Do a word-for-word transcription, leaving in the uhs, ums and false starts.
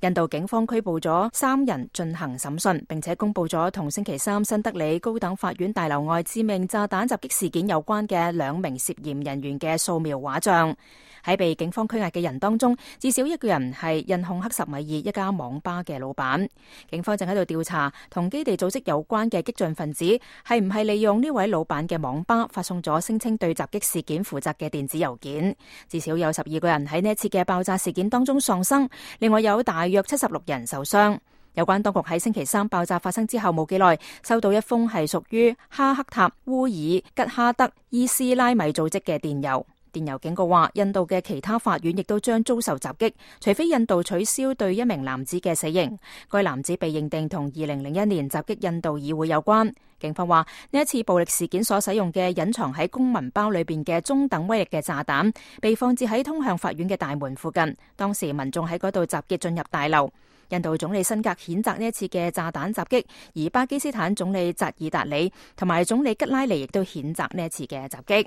印度警方拘捕咗三人進行審訊，並且公布咗同星期三新德里高等法院大樓外致命炸彈襲擊事件有關嘅兩名涉嫌人員嘅素描畫像。喺被警方拘押嘅人當中，至少一個人係印控克什米爾一家網吧嘅老闆。警方正喺度調查同基地組織有關嘅激進分子係唔係利用呢位老闆嘅網吧發送咗聲稱對襲擊事件負責嘅電子郵件。至少有十二個人喺呢一次嘅爆炸事件當中喪生，另外有大約七十六人受傷。有關當局喺星期三爆炸發生之後冇幾耐，收到一封係屬於哈克塔烏爾吉哈德伊斯拉米組織嘅電郵。電郵警告話，印度嘅其他法院亦都將遭受襲擊，除非印度取消對一名男子嘅死刑。該男子被認定同二零零一年襲擊印度議會有關。警方話，呢一次暴力事件所使用嘅隱藏喺公文包裏邊嘅中等威力嘅炸彈，被放置喺通向法院嘅大門附近。當時民眾喺嗰度集結進入大樓。印度總理辛格譴責呢一次嘅炸彈襲擊，而巴基斯坦總理扎爾達里同埋總理吉拉尼亦都譴責呢一次嘅襲擊。